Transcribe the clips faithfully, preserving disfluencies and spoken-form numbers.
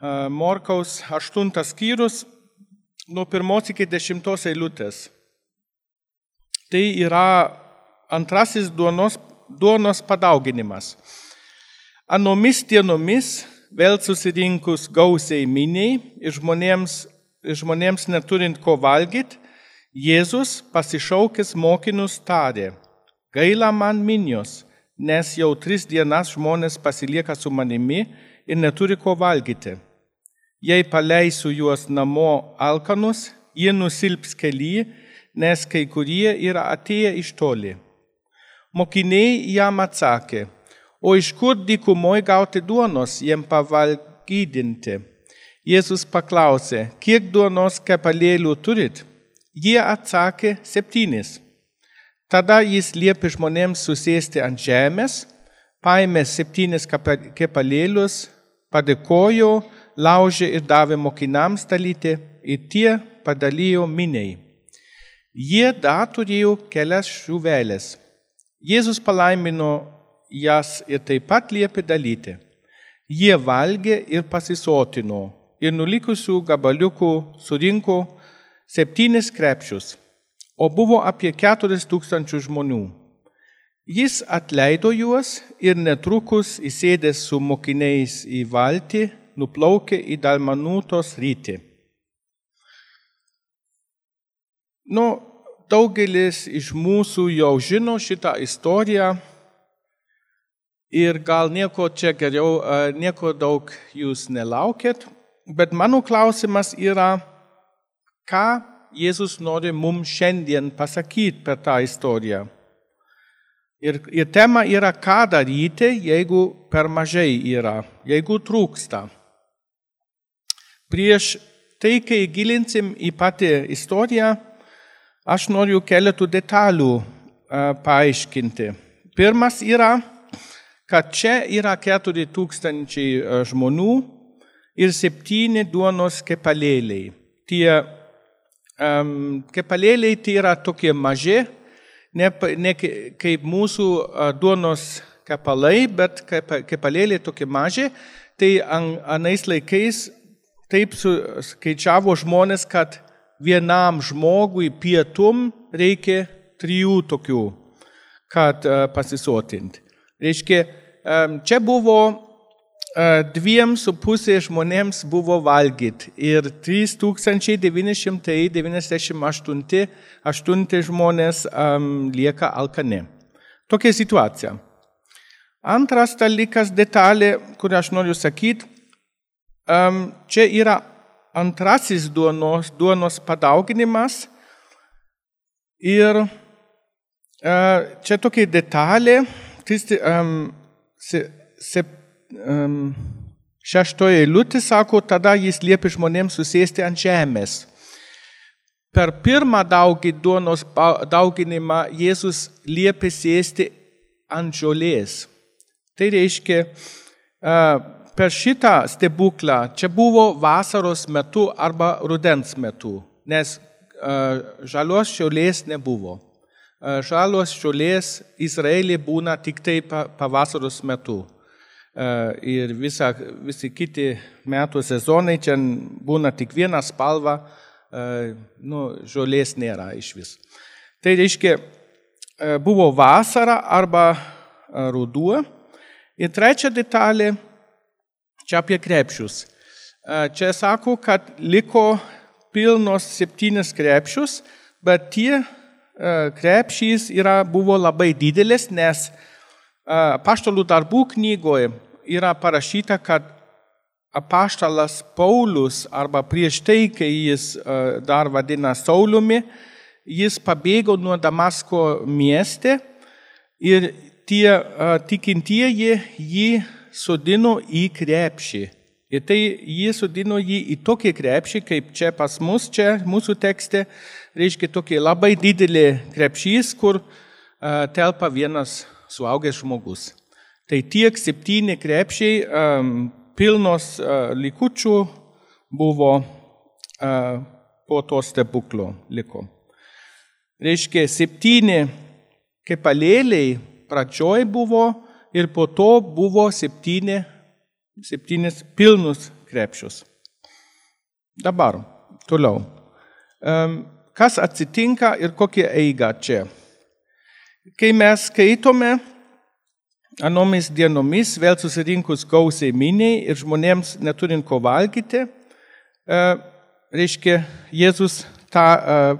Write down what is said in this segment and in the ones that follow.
Morkaus aštuntas skyrius nuo pirmos iki dešimtos eilutės. Tai yra antrasis duonos, duonos padauginimas. Anomis dienomis vėl susirinkus gausiai miniai ir žmonėms, žmonėms neturint ko valgyti, Jėzus pasišaukęs mokinius tarė: gaila man minios, nes jau tris dienas žmonės pasilieka su manimi ir neturi ko valgyti. Jei paleisiu juos namo alkanus, jie nusilps kelyje, nes kai kurie yra atėję iš toli. Mokiniai jam atsakė: o iš kur dykumoje gauti duonos jiem pavalgydinti? Jėzus paklausė: kiek duonos kepalėlių turit? Jie atsakė: septynis. Tada jis liepė žmonėms susėsti ant žemės, paėmė septynis kepalėlius, padėkojo, laužė ir davė mokiniams dalyti, ir tie padalijo miniai. Jie dar turėjo kelias žuvelės. Jėzus palaimino jas ir taip pat liepė dalyti. Jie valgė ir pasisotino, ir nulikusių gabaliukų surinko septynis krepšius, o buvo apie keturis tūkstančių žmonių. Jis atleido juos ir netrukus įsėdęs su mokiniais į valtį, nuplaukė į Dalmanutos rytį. Nu, daugelis iš mūsų jau žino šitą istoriją ir gal nieko čia geriau, nieko daug jūs nelaukėt, bet mano klausimas yra, ką Jėzus nori mums šiandien pasakyti per tą istoriją. Ir, ir tema yra, ką daryti, jeigu per mažai yra, jeigu trūksta. Prieš tai, kai gilinsim į patį istoriją, aš noriu keletų detalių uh, paaiškinti. Pirmas yra, kad čia yra keturi tūkstančiai žmonių ir septyni duonos kepalėliai. Tie um, kepalėliai tai yra tokie maži, ne, ne kaip mūsų uh, duonos kepalai, bet kepalėliai tokie maži. Tai an, anais laikais taip skaičiavo žmonės, kad vienam žmogui pietum reikia trijų tokių, kad uh, pasisotinti. Reiškia, um, čia buvo dviem su pusė žmonėms buvo valgyti ir trys tūkstančiai devyni šimtai devyniasdešimt aštuoni žmonės um, lieka alkani. Tokia situacija. Antras dalykas, detalė, kurią aš noriu sakyti, um, čia yra antrasis duonos, duonos padauginimas ir uh, čia tokia detalė, tristi, um, se, se, Um, šeštoje eilutė sako, tada jis liepė žmonėms susėsti ant žemės. Per pirmą daugį duonos dauginimą Jėzus liepė sėsti ant žolės. Tai reiškia, uh, per šitą stebuklą čia buvo vasaros metu arba rudens metu, nes uh, žalios žolės nebuvo. Uh, žalios žolės Izraelyje būna tik tai pavasaros metu. Uh, ir visa, visi kiti metų sezonai čia būna tik viena spalva, uh, nu, žolės nėra iš vis. Tai reiškia, uh, buvo vasara arba uh, ruduo. Ir trečia detalė, čia apie krepšius. Uh, čia sako, kad liko pilnos septynis krepšius, bet tie uh, krepšys yra, buvo labai didelis, nes Apaštalų darbų knygoje yra parašyta, kad apaštalas Paulius, arba prieš tai, kai jis dar vadina Sauliumi, jis pabėgo nuo Damasko mieste ir tie tikintieji jį sodino į krepšį. Ir tai jie sodino jį į tokį krepšį, kaip čia pas mus, čia mūsų tekste, reiškia tokį labai didelį krepšys, kur telpa vienas suaugęs žmogus. Tai tiek septyni krepšiai um, pilnos uh, likučių buvo uh, po to stebuklo liko. Reiškia, septyni kepalėliai pradžioj buvo ir po to buvo septyni, septynis pilnus krepšius. Dabar, toliau. Kas atsitinka ir kokia eiga čia? Kai mes skaitome, anomis dienomis vėl susirinkus gausiai miniai ir žmonėms neturint ko valgyti, reiškia, Jėzus tą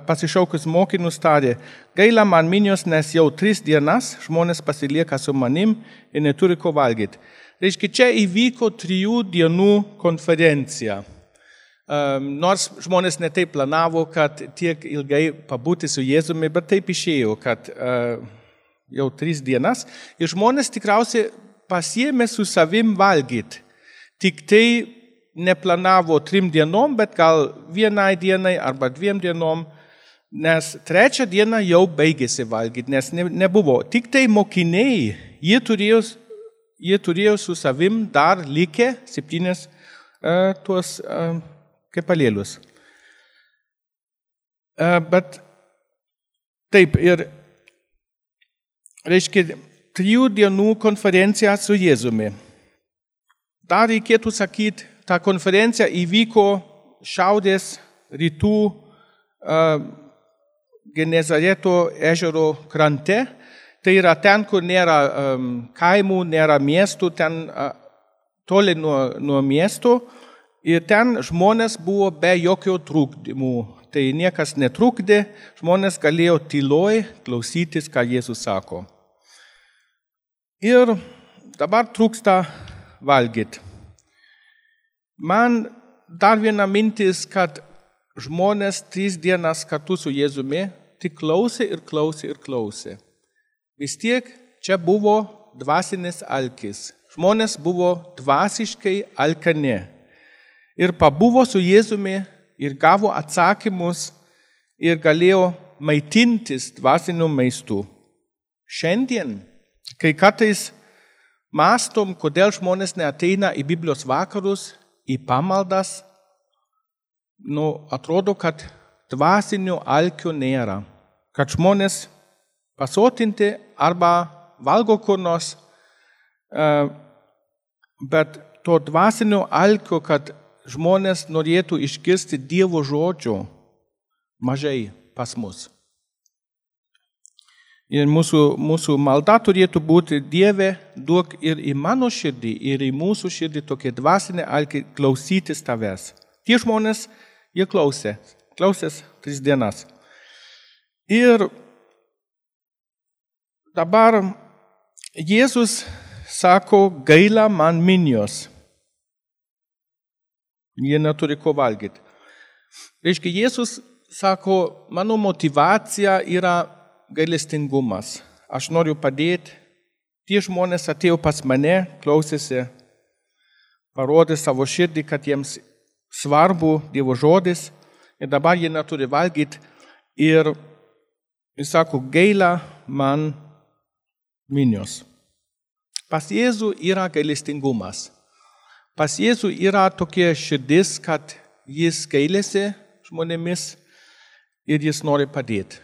pasišaukus mokinius tarė, gaila man minios, nes jau tris dienas žmonės pasilieka su manim ir neturi ko valgyti. Reiškia, čia įvyko trijų dienų konferencija. Nors žmonės netaip planavo, kad tiek ilgai pabūti su Jėzumi, bet taip išėjo, kad jau tris dienas. Ir žmonės tikriausiai pasiėmė su savim valgyti. Tik tai neplanavo trim dienom, bet gal vienai dienai arba dviem dienom, nes trečią dieną jau baigėsi valgyti, nes ne, nebuvo. Tik tai mokiniai, jie turėjo, jie turėjo su savim dar likę septynis uh, tuos uh, kepalėlius. Uh, bet taip, ir reiškia, trijų dienų konferencija su Jėzumi. Dar reikėtų sakyti, ta konferencija įvyko šiaurės rytų uh, Genezareto ežero krante. Tai yra ten, kur nėra um, kaimų, nėra miestų, ten uh, toli nuo, nuo miesto. Ir ten žmonės buvo be jokio trukdymų. Tai niekas netrukdė, žmonės galėjo tyloj klausytis, ką Jėzus sako. Ir dabar trūksta valgyti. Man dar viena mintis, kad žmonės tris dienas kartu su Jėzumi tik klausė ir klausė ir klausė. Vis tiek čia buvo dvasinis alkis. Žmonės buvo dvasiškai alkani. Ir pabuvo su Jėzumi ir gavo atsakymus ir galėjo maitintis dvasiniu maistu. Šiandien, kai kartais mąstom, kodėl žmonės neateina į Biblijos vakarus, į pamaldas, nu, atrodo, kad dvasinio alkio nėra. Kad žmonės pasotinti arba valgo kur nors, bet to dvasinio alkio, kad žmonės norėtų išgirsti Dievo žodžio, mažai pas mus. Ir mūsų, mūsų malda turėtų būti, Dieve, duok ir į mano širdį, ir į mūsų širdį tokie dvasinė alkį klausytis tavęs. Tie žmonės, jie klausė, klausės tris dienas. Ir dabar Jėzus sako, gaila man minios. Jie neturi ko valgyti. Reiškia, Jėzus sako, mano motivacija yra gailestingumas. Aš noriu padėti. Tie žmonės atėjo pas mane, klausėsi, parodė savo širdį, kad jiems svarbu Dievo žodis ir dabar jie neturi valgyti. Ir jis sako, gaila man minios. Pas Jėzų yra gailestingumas. Pas Jėzų yra tokia širdis, kad jis gailisi žmonėmis ir jis nori padėti.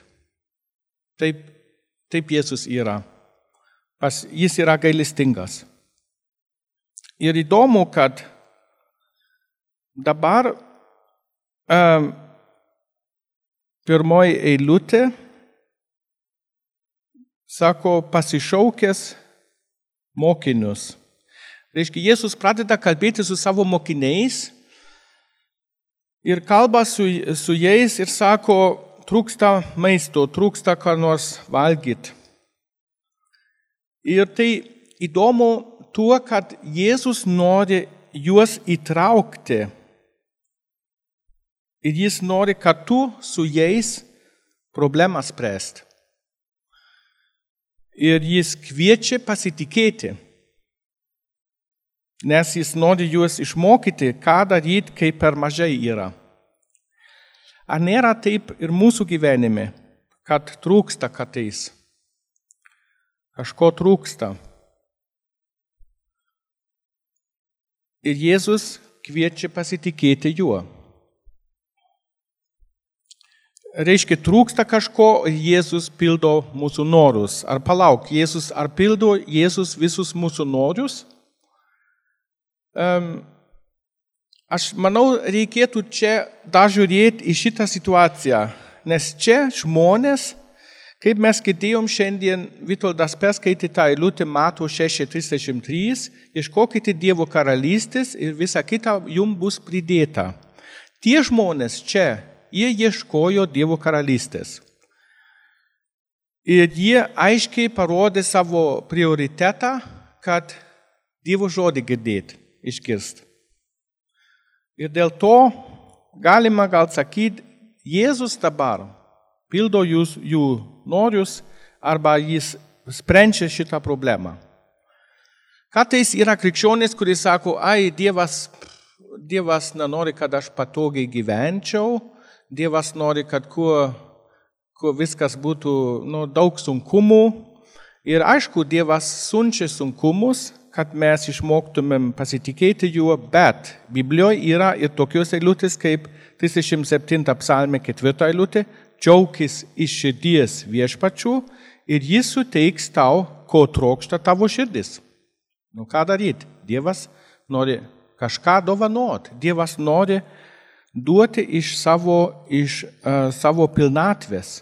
Taip, taip Jėzus yra. Pas, jis yra gailestingas. Ir įdomu, kad dabar um, pirmoji eilutė sako pasišaukęs mokinius. Reiškia, Jėzus pradeda kalbėti su savo mokiniais ir kalba su, su jais ir sako, trūksta maisto, trūksta ką nors valgyti. Ir tai įdomu tuo, kad Jėzus nori juos įtraukti. Ir jis nori kartu su jais problemą spręsti. Ir jis kviečia pasitikėti. Nes jis nori juos išmokyti, ką daryti, kai per mažai yra. Ar nėra taip ir mūsų gyvenime, kad trūksta kartais? Kažko trūksta. Ir Jėzus kviečia pasitikėti juo. Reiškia, trūksta kažko, Jėzus pildo mūsų norus. Ar palauk, Jėzus, ar pildo Jėzus visus mūsų norus? Um, Aš manau, reikėtų čia dar žiūrėti į šitą situaciją, nes čia žmonės, kaip mes girdėjom šiandien, Vitoldas perskaitė tą eilutę Mato šeši trisdešimt trys, ieškokite Dievo karalystės ir visa kita jums bus pridėta. Tie žmonės čia, jie ieškojo Dievo karalystės. Ir jie aiškiai parodė savo prioritetą, kad Dievo žodį girdėti, išgirsti. Ir dėl to galima gal sakyti, Jėzus dabar pildo jūs, jų norius arba jis sprendžia šitą problemą. Kartais yra krikščionys, kurie sako, ai, Dievas, Dievas nenori, kad aš patogiai gyvenčiau, Dievas nori, kad kuo, kuo viskas būtų nu, daug sunkumų. Ir aišku, Dievas siunčia sunkumus, kad mes išmoktumėm pasitikėti juo, bet Biblijoje yra ir tokios eilutės kaip trisdešimt septinta psalmė ketvirta eilutė, džiaukis iš širdies viešpačiu ir jis suteiks tau, ko trokšta tavo širdis. Nu ką daryti? Dievas nori kažką dovanoti, Dievas nori duoti iš savo, iš, uh, savo pilnatvės.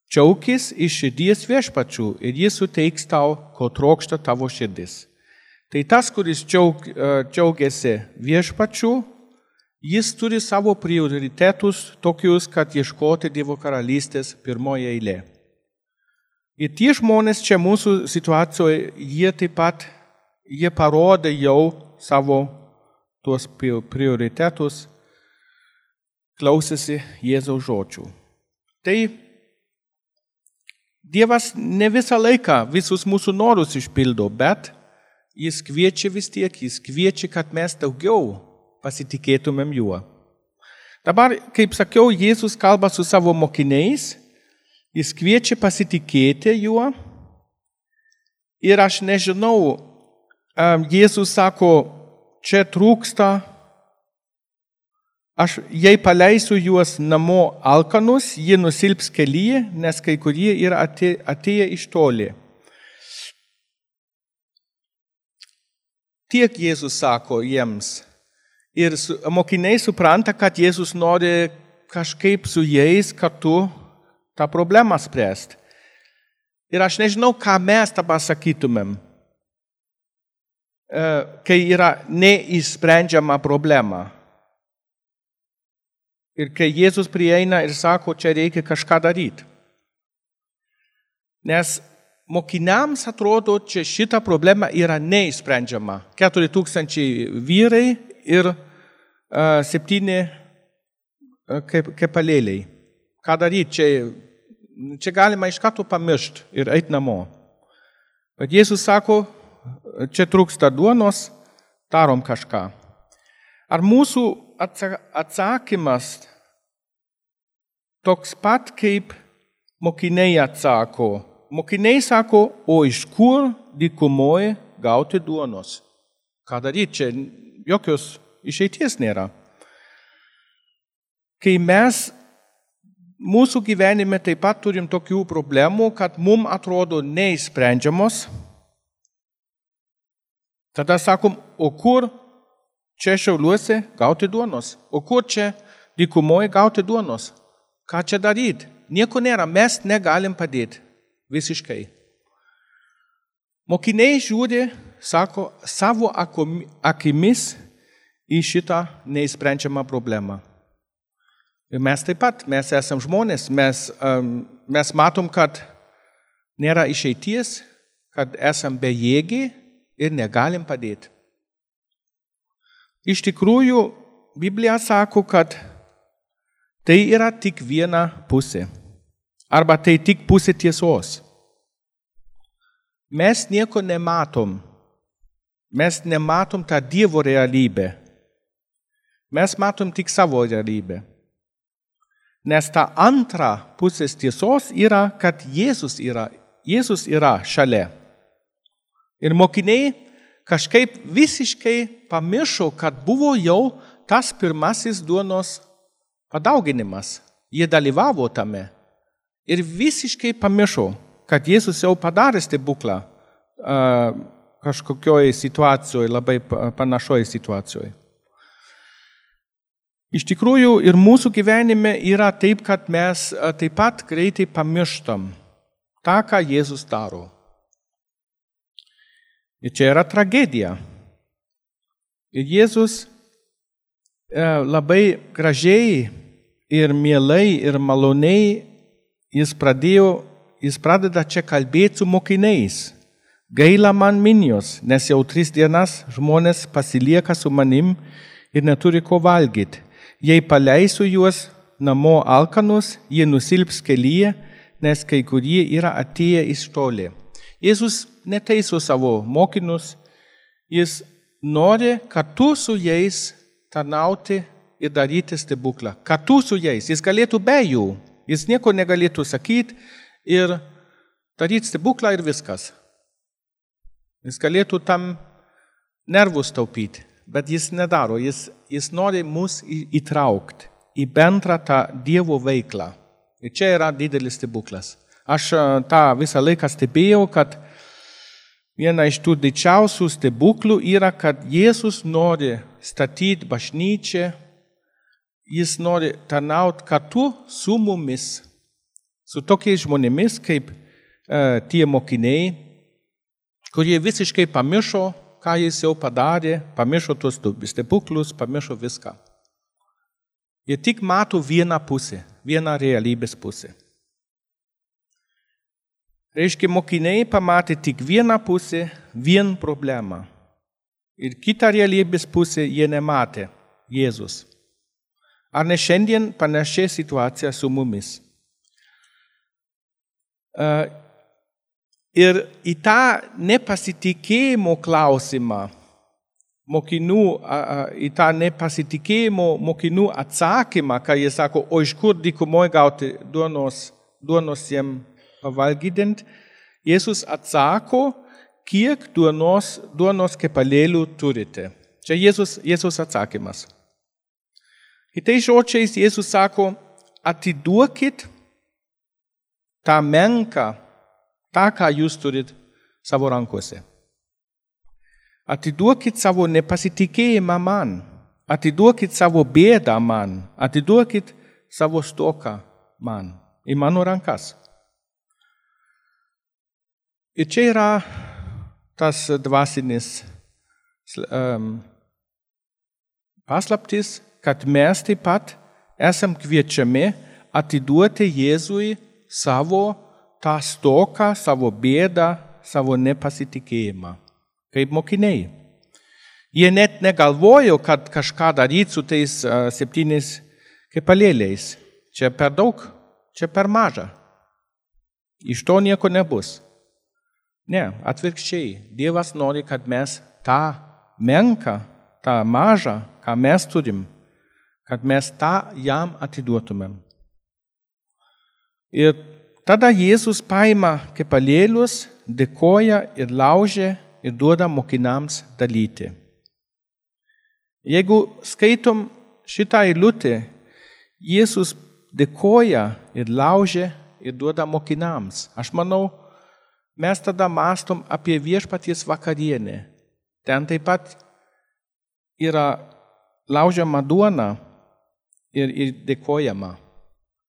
Džiaukis iš širdies viešpačiu ir jis suteiks tau, ko trokšta tavo širdis. Tai tas, kuris džiaug, džiaugiasi viešpačiu, jis turi savo prioritetus tokius, kad ieškoti Dievo karalystės pirmoje eilė. Ir tie žmonės čia mūsų situacijoje, jie taip pat, jie parodė jau savo tuos prioritetus, klausėsi Jėzaus žodžių. Tai Dievas ne visą laiką visus mūsų norus išpildo, bet jis kviečia vis tiek, jis kviečia, kad mes daugiau pasitikėtumėm juo. Dabar, kaip sakiau, Jėzus kalba su savo mokiniais, jis kviečia pasitikėti juo. Ir aš nežinau, Jėzus sako, čia trūksta, aš jei paleisiu juos namo alkanus, jie nusilps kelyje, nes kai kurie yra atėję iš toli. Tiek Jėzus sako jiems. Ir mokiniai supranta, kad Jėzus nori kažkaip su jais kartu tą problemą spręsti. Ir aš nežinau, ką mes dabar sakytumėm, kai yra neišsprendžiama problema. Ir kai Jėzus prieina ir sako, čia reikia kažką daryti. Nes mokiniams atrodo, čia šita problema yra neišsprendžiama. Keturi tūkstančiai vyrai ir uh, septyni uh, kepalėliai. Ką daryti? Čia, čia galima iš karto pamiršti ir eiti namo. Bet Jėzus sako, čia trūksta duonos, darom kažką. Ar mūsų atsakymas toks pat, kaip mokiniai atsako? Mokiniai sako, o iš kur dykumoje gauti duonos? Ką daryti? Čia jokios išeities nėra. Kai mes mūsų gyvenime taip pat turim tokių problemų, kad mums atrodo neišsprendžiamos, tada sakom, o kur čia Šiauliuose gauti duonos? O kur čia dykumoje gauti duonos? Ką čia daryti? Nieko nėra, mes negalim padėti. Visiškai. Mokiniai žiūri, sako, savo akimis į šitą neįsprendžiamą problemą. Ir mes taip pat, mes esam žmonės, mes, um, mes matom, kad nėra išeities, kad esam bejėgiai ir negalim padėti. Iš tikrųjų, Biblija sako, kad tai yra tik viena pusė. Arba tai tik pusė tiesos. Mes nieko nematom. Mes nematom tą Dievo realybę. Mes matom tik savo realybę. Nes ta antra pusės tiesos yra, kad Jėzus yra, Jėzus yra šalia. Ir mokiniai kažkaip visiškai pamiršo, kad buvo jau tas pirmasis duonos padauginimas. Jie dalyvavo tame. Ir visiškai pamiršo, kad Jėzus jau padarė stebuklą uh, kažkokioje situacijoje, labai panašoje situacijoje. Iš tikrųjų ir mūsų gyvenime yra taip, kad mes taip pat greitai pamirštam tą, ką Jėzus daro. Ir čia yra tragedija. Ir Jėzus labai gražiai ir mielai ir maloniai jis pradėjo, jis pradeda čia kalbėti su mokiniais. Gaila man minios, nes jau tris dienas žmonės pasilieka su manim ir neturi ko valgyti. Jei paleisiu juos namo alkanus, jie nusilps kelyje, nes kai kurie yra atėję iš toli. Jėzus neteiso savo mokinius, jis nori kartu su jais tarnauti ir daryti stebuklą. Kartu su jais, jis galėtų be jų, jis nieko negalėtų sakyti ir daryti stebuklą ir viskas. Jis galėtų tam nervus taupyti. Bet jis nedaro, jis, jis nori mus įtraukti į bendrą tą Dievo veiklą. Ir čia yra didelis stebuklas. Aš tą visą laiką stebėjau, kad viena iš tų didžiausių stebuklų yra, kad Jėzus nori statyti bažnyčią, jis nori tarnauti kartu su mumis, su tokiais žmonėmis kaip e, tie mokiniai, kurie visiškai pamiršo, ką jis jau padarė, pamiršo tuos stebuklus, pamiršo viską. Jie tik mato vieną pusę, vieną realybės pusę. Reiškia, mokiniai pamatė tik vieną pusę, vieną problemą. Ir kitą realybės pusę jie nematė, Jėzus. Ar ne šiandien panaši situacija su mumis? Uh, Ir į tą nepasitikėjimo klausimą, mokinių, į tą nepasitikėjimo mokinių atsakymą, kai jie sako, o iš kur dykumoje gauti duonos, duonos jiem pavalgydint, Jėzus atsako, kiek duonos, duonos kepalėlių turite. Čia Jėzus, Jėzus atsakymas. Kitais žodžiais Jėzus sako, atiduokit tą menką, tą, ką jūs turit savo rankose. Atiduokit savo nepasitikėjimą man, atiduokit savo bėdą man, atiduokit savo stoką man, į mano rankas. Ir čia yra tas dvasinis um, paslaptis, kad mes taip pat esam kviečiami atiduoti Jėzui savo tą stoką, savo bėdą, savo nepasitikėjimą, kaip mokiniai. Jie net negalvojo, kad kažką daryti su tais uh, septyniais kepalėliais. Čia per daug, čia per maža. Iš to nieko nebus. Ne, atvirkščiai. Dievas nori, kad mes tą menką, tą mažą, ką mes turim, kad mes tą jam atiduotumėm. Ir tada Jėzus paima kepalėlius, dėkoja ir laužia ir duoda mokiniams dalyti. Jeigu skaitom šitą eilutę, Jėzus dėkoja ir laužia ir duoda mokiniams. Aš manau, mes tada mąstom apie viešpaties vakarienę. Ten taip pat yra laužiama duona ir, ir dėkojama.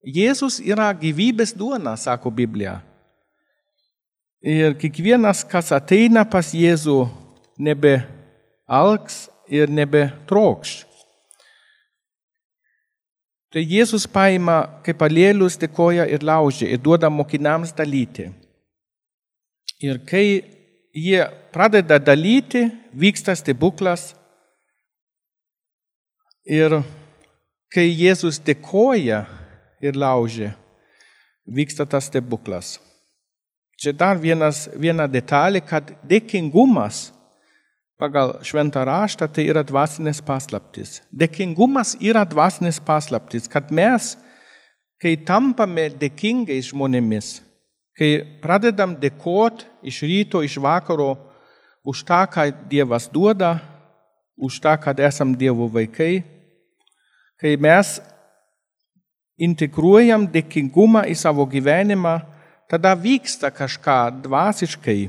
Jėzus yra gyvybės duona, sako Biblija. Ir kiekvienas, kas ateina pas Jėzų, nebe alks ir nebe trokš. Tai Jėzus paima kepalėlius, dėkoja ir laužia ir duoda mokiniams dalyti. Ir kai jie pradeda dalyti, vyksta stebuklas. Ir kai Jėzus dėkoja ir laužia, vyksta tas stebuklas. Čia dar vienas, viena detalė, kad dėkingumas pagal šventą raštą tai yra dvasinės paslaptis. Dėkingumas yra dvasinės paslaptis, kad mes, kai tampame dėkingais žmonėmis, kai pradedam dėkoti iš ryto, iš vakaro už tą, ką Dievas duoda, už tą, kad esam Dievo vaikai, kai mes integruojam dėkingumą į savo gyvenimą, tada vyksta kažką dvasiškai.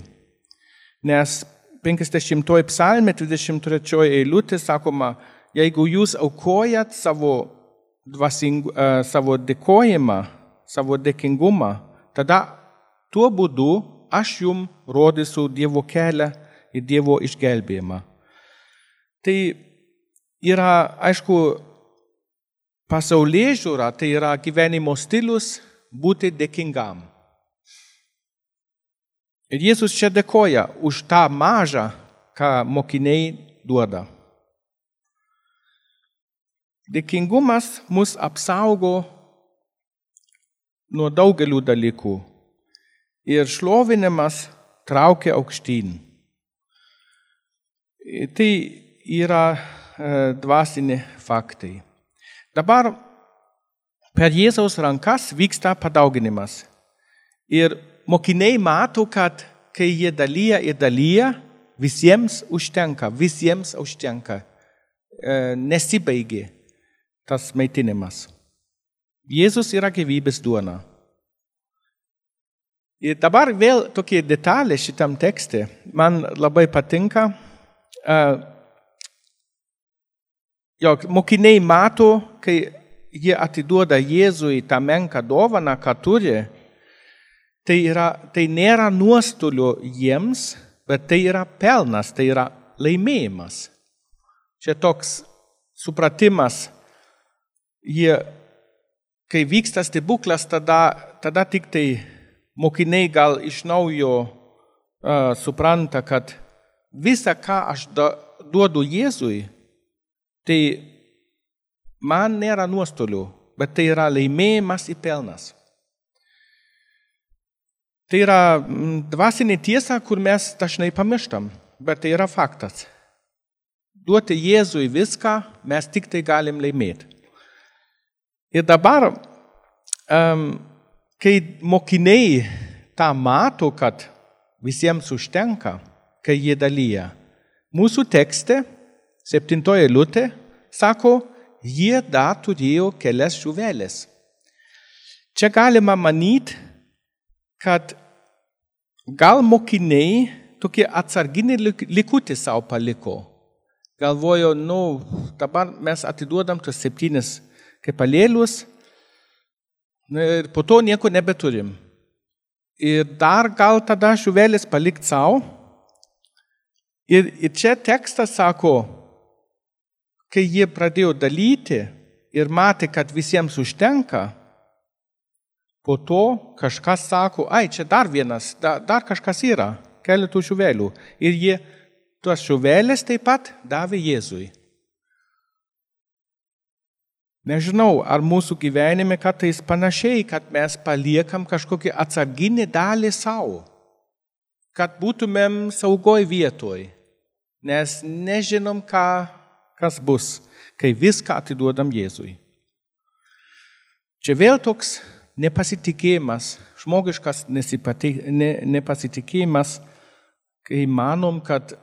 Nes penkiasdešimtoji psalmė, dvidešimt trečioji eilutė, sakoma, jeigu jūs aukojat savo, dvasing, uh, savo dėkojimą, savo dėkingumą, tada tuo būdu aš jums rodysiu Dievo kelią ir Dievo išgelbėjimą. Tai yra, aišku, pasaulėžiūra, tai yra gyvenimo stilius būti dėkingam. Ir Jėzus čia dėkoja už tą mažą, ką mokiniai duoda. Dėkingumas mus apsaugo nuo daugelių dalykų ir šlovinimas traukia aukštyn. Tai yra e, dvasiniai faktai. Dabar per Jėzaus rankas vyksta padauginimas. Ir mokiniai mato, kad kai jie dalyja ir dalyja, visiems užtenka, visiems užtenka. E, nesibaigė tas maitinimas. Jėzus yra gyvybės duona. Ir dabar vėl tokie detalė šitam tekste. Man labai patinka, uh, jog mokiniai mato, kai jie atiduoda Jėzui tą menką dovaną, ką turi, tai, yra, tai nėra nuostolio jiems, bet tai yra pelnas, tai yra laimėjimas. Čia toks supratimas, jie, kai vyksta stebuklas, tada, tada tik tai mokiniai gal iš naujo uh, supranta, kad visa, ką aš da, duodu Jėzui, tai man nėra nuostolių, bet tai yra laimėjimas ir pelnas. Tai yra dvasinė tiesa, kur mes dažnai pamirštam, bet tai yra faktas. Duoti Jėzui viską, mes tik tai galim laimėti. Ir dabar, um, kai mokiniai tą mato, kad visiems užtenka, kai jie dalyja, mūsų tekste, septintoje eilutė, sako, jie dar turėjo kelias žuvelės. Čia galima manyti, kad gal mokiniai tokie atsarginį likutį savo paliko. Galvojo, nu, dabar mes atiduodam tos septynis kepalėlius ir po to nieko nebeturim. Ir dar gal tada žuvelės palikt savo. Ir, ir čia tekstas sako, kai jie pradėjo dalyti ir matė, kad visiems užtenka, po to kažkas sako, ai, čia dar vienas, dar, dar kažkas yra, keletų žuvelių. Ir jie tuos žuvelės taip pat davė Jėzui. Nežinau, ar mūsų gyvenime kartais panašiai, kad mes paliekam kažkokį atsarginį dalį savo, kad būtumėm saugoj vietoj, nes nežinom, ką, kas bus, kai viską atiduodam Jėzui. Čia vėl toks nepasitikėjimas, žmogiškas ne, nepasitikėjimas, kai manom, kad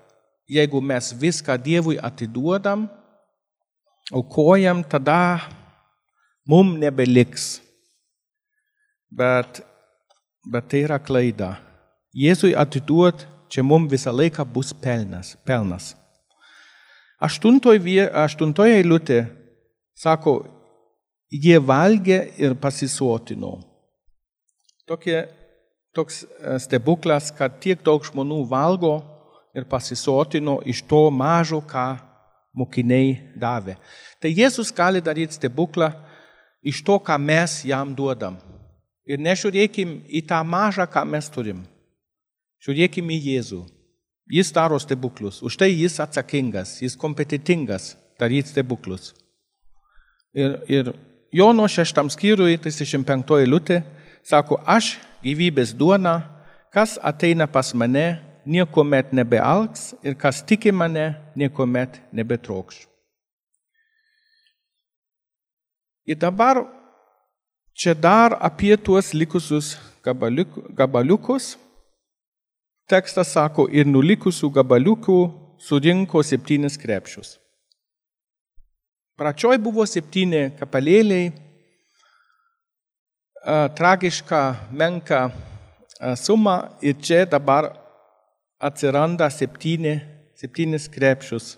jeigu mes viską Dievui atiduodam, aukojam, tada mum nebeliks. Bet, bet tai yra klaida. Jėzui atiduot, čia mum visą laiką bus pelnas. pelnas. Aštuntoje aštuntoj eilutė sako, jie valgė ir pasisotino. Tokie, toks stebuklas, kad tiek daug žmonių valgo ir pasisotino iš to mažo, ką mokiniai davė. Tai Jėzus gali daryti stebuklą iš to, ką mes jam duodam. Ir nežiūrėkim į tą mažą, ką mes turim. Žiūrėkim į Jėzų. Jis daro stebuklus. Už tai jis atsakingas, jis kompetitingas daryti stebuklus. Ir, ir Jono šeštam skyriui, trisdešimt penktoji eilutė, sako, aš gyvybės duona, kas ateina pas mane, niekuomet nebealks ir kas tiki mane, niekuomet nebetrokš. Ir dabar čia dar apie tuos likusius gabaliuk, gabaliukus. Tekstas sako, ir nulikusių gabaliukų surinko septynis krepšius. Pradžioj buvo septyni kapalėliai, tragiška, menka suma ir čia dabar atsiranda septyni, septynis krepšius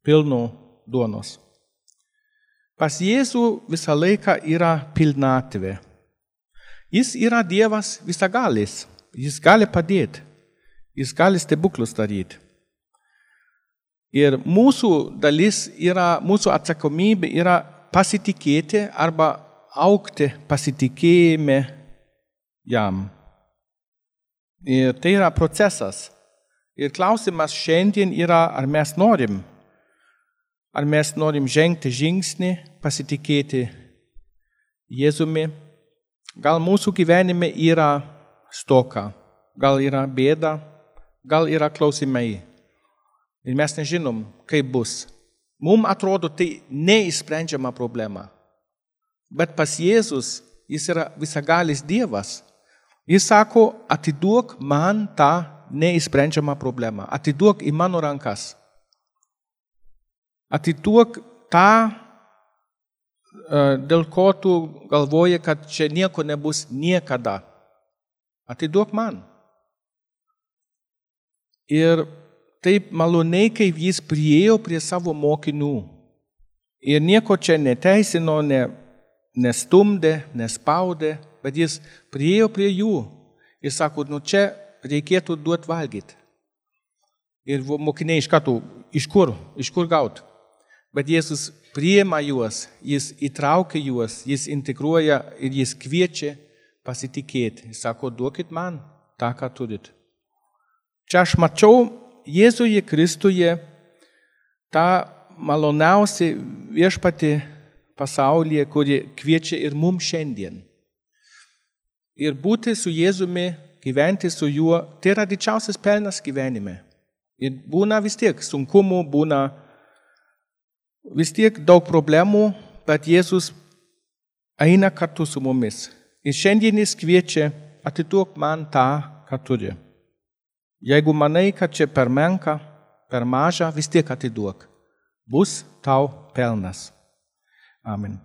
pilno duonos. Pas Jėzų visą laiką yra pilnatvė. Jis yra Dievas visagalis. Jis gali padėti. Jis gali stebuklus daryti. Ir mūsų dalis yra, mūsų atsakomybė yra pasitikėti arba augti pasitikėjime jam. Ir tai yra procesas. Ir klausimas šiandien yra, ar mes norim, ar mes norim žengti žingsnį, pasitikėti Jėzumi. Gal mūsų gyvenime yra stoka, gal yra bėda, gal yra klausimai. Ir mes nežinom, kaip bus. Mums atrodo, tai neišsprendžiama problema. Bet pas Jėzus, jis yra visagalis Dievas. Jis sako, atiduok man tą neišsprendžiamą problemą. Atiduok į mano rankas. Atiduok tą, dėl ko tu galvoji, kad čia nieko nebus niekada. Atiduok man. Ir taip maloniai, kaip jis priėjo prie savo mokinių. Ir nieko čia neteisino, ne, nestumdė, nespaudė, bet jis priėjo prie jų ir sako, nu čia reikėtų duoti valgyti. Ir mokiniai iš karto, iš kur, iš kur gauti. Bet Jėzus priima juos, jis įtraukia juos, jis integruoja ir jis kviečia pasitikėti. Jis sako, duokit man tą, ką turit. Čia aš mačiau Jėzuje Kristuje tą maloniausią viešpatį pasaulyje, kuri kviečia ir mums šiandien. Ir būti su Jėzumi, gyventi su juo, tai yra didžiausias pelnas gyvenime. Ir būna vis tiek sunkumų, būna vis tiek daug problemų, bet Jėzus eina kartu su mumis. Ir šiandien jis kviečia, atiduok man tą, ką turi. Jeigu manai, kad čia per menka, per maža, vis tiek atiduok. Bus tau pelnas. Amen.